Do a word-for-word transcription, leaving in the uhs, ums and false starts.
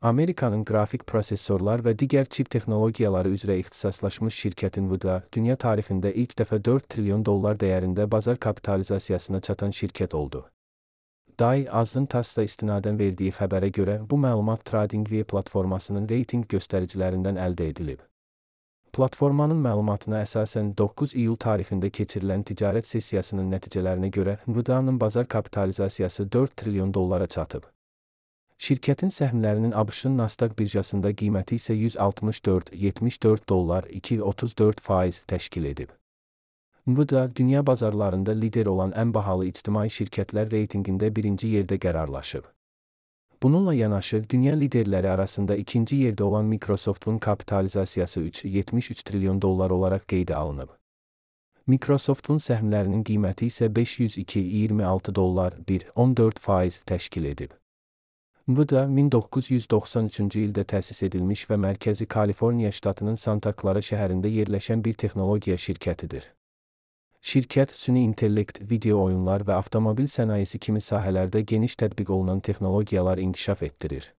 Amerikanın qrafik prosesorlar və digər çip texnologiyaları üzrə ixtisaslaşmış şirkət Nvidia, dünya tarixində ilk dəfə dörd trilyon dollar dəyərində bazar kapitalizasiyasına çatan şirkət oldu. D A I Azın TASS-a istinadən verdiyi xəbərə görə, bu məlumat TradingView platformasının reytinq göstəricilərindən əldə edilib. Platformanın məlumatına əsasən doqquz iyul tarixində keçirilən ticarət sessiyasının nəticələrinə görə Nvidia'nın bazar kapitalizasiyası dörd trilyon dollara çatıb. Şirkətin səhmlərinin ABŞ-ın Nasdaq birjasında qiyməti isə yüz altmış dörd nöqtə yetmiş dörd dollar iki nöqtə otuz dörd faiz təşkil edib. Nvidia, dünya bazarlarında lider olan ən bahalı ictimai şirkətlər reytinqində birinci yerdə qərarlaşıb. Bununla yanaşı, dünya liderləri arasında ikinci yerdə olan Microsoft'un kapitalizasiyası üç nöqtə yetmiş üç trilyon dollar olaraq qeydə alınıb. Microsoft'un səhmlərinin qiyməti isə beş yüz iki nöqtə iyirmi altı dollar bir nöqtə on dörd faiz təşkil edib. Nvidia min doqquz yüz doxsan üçüncü ildə təsis edilmiş və mərkəzi Kaliforniya ştatının Santa Clara şəhərində yerləşən bir texnologiya şirkətidir. Şirkət, süni intellekt, video oyunlar və avtomobil sənayesi kimi sahələrdə geniş tətbiq olunan texnologiyalar inkişaf etdirir.